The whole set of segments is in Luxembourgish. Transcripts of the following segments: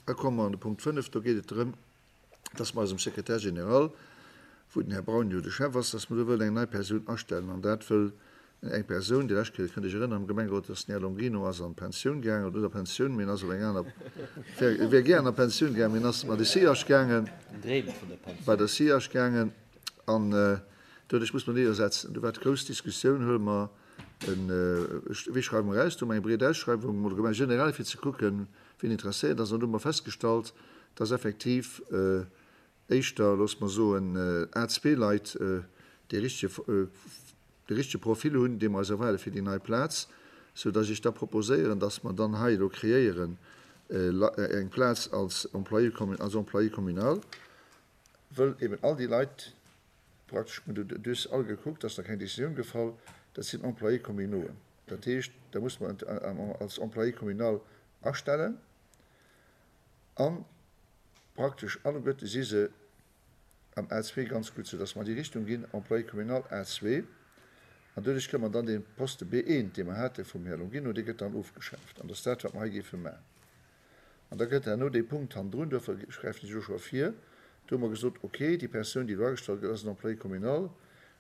Da komme mer an de Punkt 5, do geet et drëm, dass mer eisem Secrétaire général, wou den Här Braun jo de Chef ass, dass mer do wëllen eng nei Persoun astellen. An dat wëll eng Persoun, déi lescht Kéier, kënnt Iech erënneren, am Gemengerot, dass den Här Longino ass an d'Pensioun gaangen, oder net a Pensioun, mee en ass op eng aner, wär, wär gär an der Pensioun gaangen, mee en ass bei de SIAS gaangen, bei der SIAS gaangen. An doduerch muss mer niddersetzen. Do war d'grouss Diskussioun, huele mer en, wéi schreiwe mer aus? Do hu mer eng breet Ausschreiwung mol gemaach, generell fir ze kucken, wien interesséiert ass. An do hu mer festgestallt, dass effektiv éischter, loosse mer soen, A-zwee-Leit dee richtege, de richtege Profil hunn, dee mer eis erwaarde fir déi nei Plaz, soudass ech da proposéieren, dass mer dann hei elo kreéieren eng Plaz als Employé, als Employé communal, wëll eben all déi Leit, praktesch, mir hunn duerch all gekuckt, ass nach keng Décisioun gefall, dat sinn Employés communauxen. Dat heescht, da muss mer als Employé communal astellen a praktesch alleguerte si se am A2 ganz gutt, soudass mer an déi Richtung ginn, Employé communal A2. An doduerch kënne mer dann dee Poste B1, dee mer hate vum Här Longino, dee gëtt dann ofgeschaaft. An dat ass dat, wat mer hei géife maachen. An da gëtt herno dee Punkt hannendrun, duerfir gräifen ech elo scho vir, do hu mer gesot, okay, déi Persoun, déi elo agestallt gëtt, ass en Employé communal,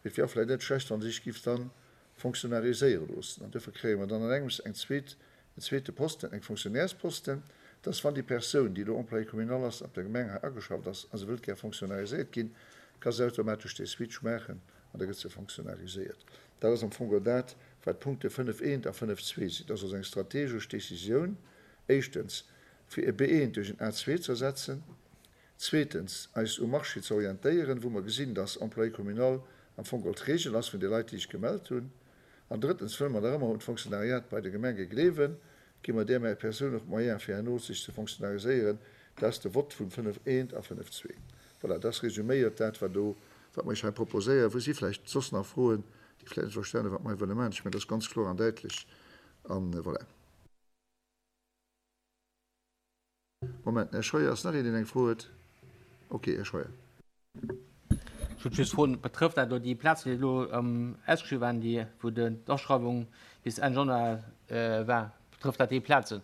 mee et wier och vläicht net schlecht, wa se sech giff dann fonctionnariséiere loossen. An duerfir kréie mer dann an engems eng zweet, en zweete Posten, eng Fonctionnairesposten, dass wann déi Persoun, déi elo Employé communal ass, op der Gemeng hei ageschafft ass a se wëllt gär fonctionnariséiert ginn, ka se automatesch dee Switch maachen an da gëtt se fonctionnariséiert. Dat ass am Fong geholl dat, wat d'Punkte 5 eent a 5 zwee sinn. Dat ass also eng strategesch Décisioun, éischtens, fir e B1 duerch en A2 ze ersetzen, zweetens, eis um Marché ze orientéieren, wou mer gesinn, dass Employé communal am Fong geholl d'Regel ass vun de Leit, déi sech gemellt hunn, an drëttens, wëll mer nach ëmmer un d'Fonctionnariat bei de Gemenge gleewen, gi mer där Persoun och d'Moyene fir herno sech ze fonctionnariséieren. Dat ass de Vott vun 5 eent a 5 zwee. Voilà, dat ass résuméiert dat, wat do, wat mer Iech hei proposéieren. Wou si vläicht soss nach Froen, déi vläicht net verstanen, wat mer hei wëlle maachen? Ech mengen, dat ass ganz kloer an däitlech. An voilà. Moment, Här Scheuer, ass nach een, deen eng Fro huet? Ok, Här Scheuer. Ech wollt just froen, Betrëfft dat elo déi Plazen, déi elo ausgeschriwwen waren, déi, wou d'Aschreiwung bis Enn Januar war? Betrëfft dat déi Plazen?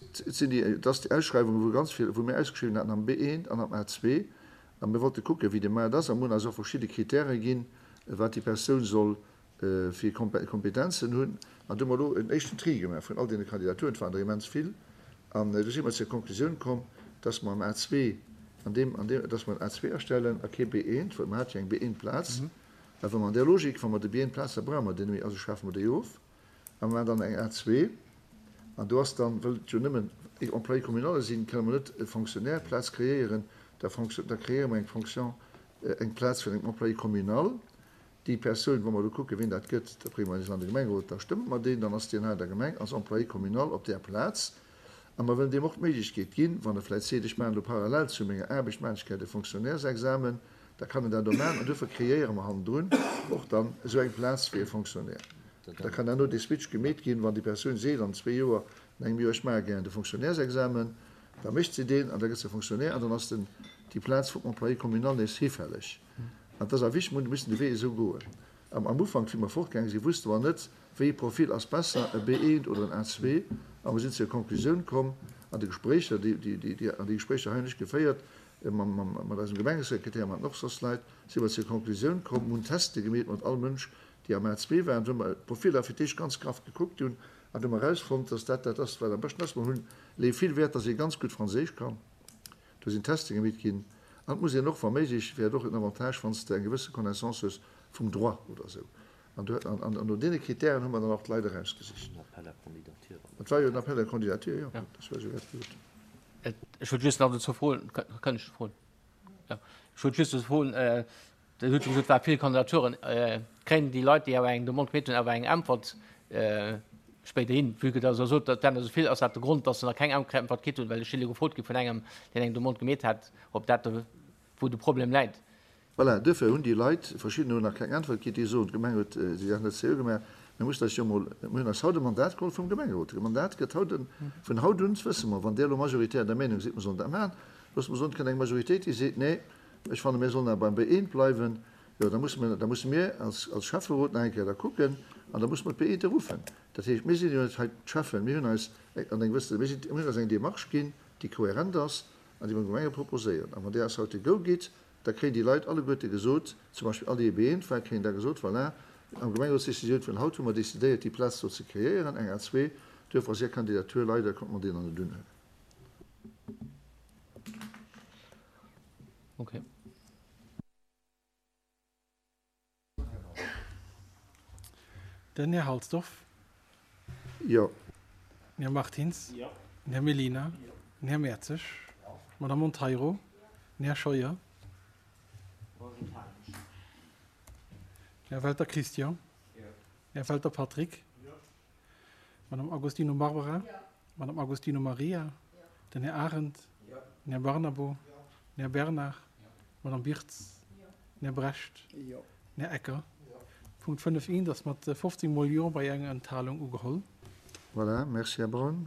Et sinn déi, et ass déi Ausschreiwung, wou ganz vill, wou mir ausgeschriwwen haten am B1 an am A2. A mir wollte kucken, wéi de Maart ass. A mir hunn eis och verschidde Kritäre ginn, wat déi Persoun soll fir Kompetenzen hunn. An do hu mer elo en éischten Tri gemaach vun all deene Kandidaturen, et waren der immens vill, an do si mer zur Konklusioun komm, dass mer am A2, an deem, an deem, dass mer en A2 astellen a kee B1, well mer hate jo eng B1-Plaz. A wa mer an där Logik, wa mer de B1-Plaz, da brauche mer déi net méi, also schafe mer déi of a mer maachen dann eng A2. An do ass dann, wëll et jo nëmmen Employé communale sinn, kënne mer net e Fonctionnaire-Plaz kreéieren, da da kreéiere mer eng Fonction, eng Plaz fir eng Employé communal, Déi Persoun, wa mer elo kucken, wien dat gëtt, da brénge mer eis an de Gemengerot, da stëmme mer deen, dann ass deen hei an der Gemeng als Employé communal op där Plaz. A mer wëllen deem och d'Méiglechkeet ginn, wann e vläicht seet, ech maachen elo parallel zu menger Aarbecht, maachen ech gär de Fonctionnairesexamen, da kann en dat och maachen. An duerfir kreéiere mer hannendrun och dann esou eng Plaz fir e Fonctionnaire. Da kann herno dee Switch gemeet ginn, wann déi Persoun seet an zwee Joer, an engem Joer, ech maache gär de Fonctionnairesexamen, da mécht se deen an da gëtt se Fonctionnaire an dann ass den, déi Plaz vum Employé communal nees hifälleg. An et ass awer wichteg, mir mussen de Wee esou goen. Am am Ufank, wéi mer fortgaange sinn, wusste mer net, wéi ee Profil ass besser, e B1 oder en A2. A mer sinn zur Konklusioun komm an de Gespréicher, déi, déi, déi, déi, an déi Gespréicher hei hunn ech geféiert mam, mam, mat eisem Gemengesekretär, mat och soss Leit, si mer zur Konklusioun komm, mir hunn Teste gemeet mat all Mënsch, déi am A2 waren, wou mer d'Profiller fir d'éischt ganz graff gekuckt hunn an du hu mer erausfonnt, dass dat dat ass, wat am beschten ass. Mer hunn, leeë vill Wäert, dass ee ganz gutt Franséisch kann. Do sinn Teste gemeet ginn. An et muss een och, wa méiglech, wär et och en Avantage, wann s de eng gewësse Connaissance hues vum Droit oder esou. An do, an, an no deene Kritären hu mer dann och d'Leit erausgesicht. En Appel à candidature. Et war jo en Appel à candidature, jo. Dat war esou dat gesot. Ech wollt just nach dozou froen, kann ech froen? Jo. Ech wollt just dozou froen, Dir hutt jo gesot, et ware vill Kandidaturen. Kréien déi Leit, déi awer eng Demande gemeet hunn, awer eng Äntwert spéiderhin? Vue que Der sot, et wären der esou vill, ass dat de Grond, datt se nach keng Äntwert kritt hunn? Well ech si elo gefrot gi vun engem, deen eng Demande gemeet hat, ob dat do, wou de Problem läit. Voilà, duerfir hunn déi Leit, verschiddener hunn nach keng Äntwert kritt, déi soen, d'Gemeng huet déi Saach net seriö gemaach. Mir mussen eis jo emol, mir hunn eis haut e Mandat geholl vum Gemengerot. De Mandat gëtt haut, vun haut un wësse mer, wann Dir elo majoritär der Meenung sidd, mer sollen dat maachen, loosse mer soen, et kënnt eng Majoritéit, déi seet, nee, Ech fanne mir sollen awer beim B1 bleiwen. Jo, da musse mir, da musse mir als, als Schäfferot nach eng Kéier da kucken. An da musse mer d'Beeënte ruffen. Dat heescht, mir sinn jo net hei d'Cheffen, mir hunn eis an eng gewësse, mir sinn, mir hunn eis eng Démarche ginn, déi kohärent ass an déi mer dem Gemengerot proposéieren. A wann där eis haut de Go gitt, da kréien déi Leit alleguerte gesot, zum Beispill all déi Beeënt waren, kréien da gesot, voilà, am Gemengerotsdécisioun vun haut hu mer décidéiert, déi Plaz do ze kreéieren, eng A2, duerfir ass Är Kandidatur leider, konnte mer déi nach net unhuelen. Okay. Den Här Halsdorf. Jo. Den Här Martins. Jo. Den Här Mellina. Jo. Den Här Mertzig. Jo. D'Madame Monteiro. Den Här Scheuer. Den Här Welter Christian. Jo. Den Här Welter Patrick. Jo. D'Madame Agostino Barbara. Jo. D'Madame Agostino Maria. Jo. Den Här Arendt. Jo. Den Här Barnabo. Jo. Den Här Bernard. Jo. D'Madame Birtz. Jo. Den Här Brecht. Jo. Den Här Ecker. Jo. Punkt 5 I ass mat 15 mol Jo bei enger Enthalung ugeholl. Voilà, merci, Här Braun.